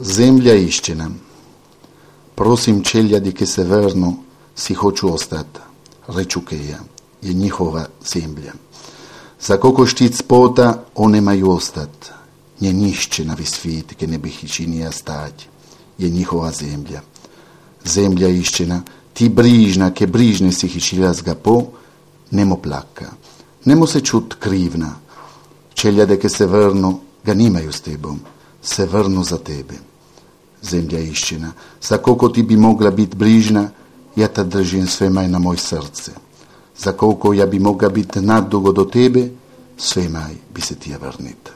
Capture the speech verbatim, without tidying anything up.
Zemlja istina. Prosim čeljadi ke se vrnu, si hoću ostat, reču Keja, je njihova zemlja. Za koliko štit spota, one maju ostat. Nje nišće na svit, ke ne bih činija stać, je njihova zemlja. Zemlja iščina, ti brižna, ke brižne si hičila zga po, nemo plaka. Nemo se čut krivna. Čeljade ke se vrnu, ga nimaju s tebom, se vrnu za tebe. Zemlja iščina, za koliko ti bi mogla biti brižna, ja ta držim sve maj na moj srce. Za koliko ja bi mogla biti naddugo do tebe, sve maj bi se ti vrnit.